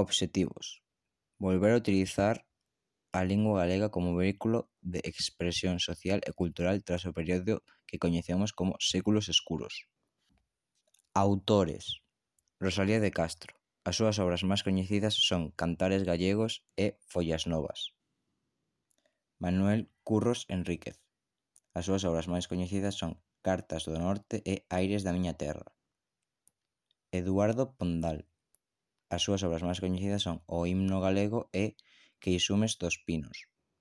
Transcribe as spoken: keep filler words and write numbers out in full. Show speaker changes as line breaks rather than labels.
Obxectivos: volver a utilizar a lingua galega como vehículo de expresión social e cultural tras o período que coñecemos como séculos escuros. Autores: Rosalía de Castro. As súas obras máis coñecidas son Cantares gallegos e Follas novas. Manuel Curros Enríquez. As súas obras máis coñecidas son Cartas do norte e Aires da miña terra. Eduardo Pondal. As súas obras máis coñecidas son O himno galego e Queixumes dos pinos.